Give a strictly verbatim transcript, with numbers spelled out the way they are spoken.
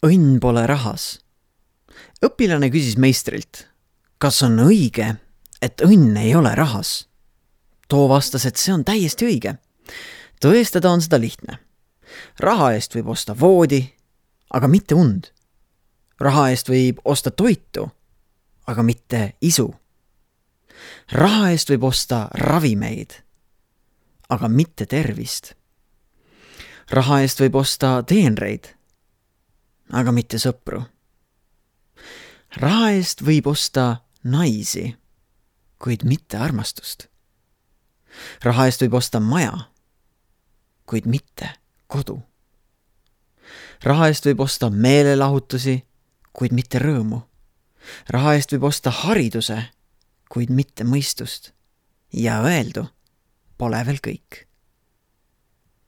Õnn pole rahas. Õpilane küsis meistrilt, kas on õige, et õnn ei ole rahas? Too vastas, et see on täiesti õige. Tõestada on seda lihtne. Raha eest võib osta voodi, aga mitte und. Raha eest võib osta toitu, aga mitte isu. Raha eest võib osta ravimeid, aga mitte tervist. Raha eest võib osta teenreid, aga mitte sõpru. Raha eest võib osta naisi, kuid mitte armastust. Raha eest võib osta maja, kuid mitte kodu. Raha eest võib osta meelelahutusi, kuid mitte rõõmu. Raha eest võib osta hariduse, kuid mitte mõistust. Ja öeldu pole veel kõik.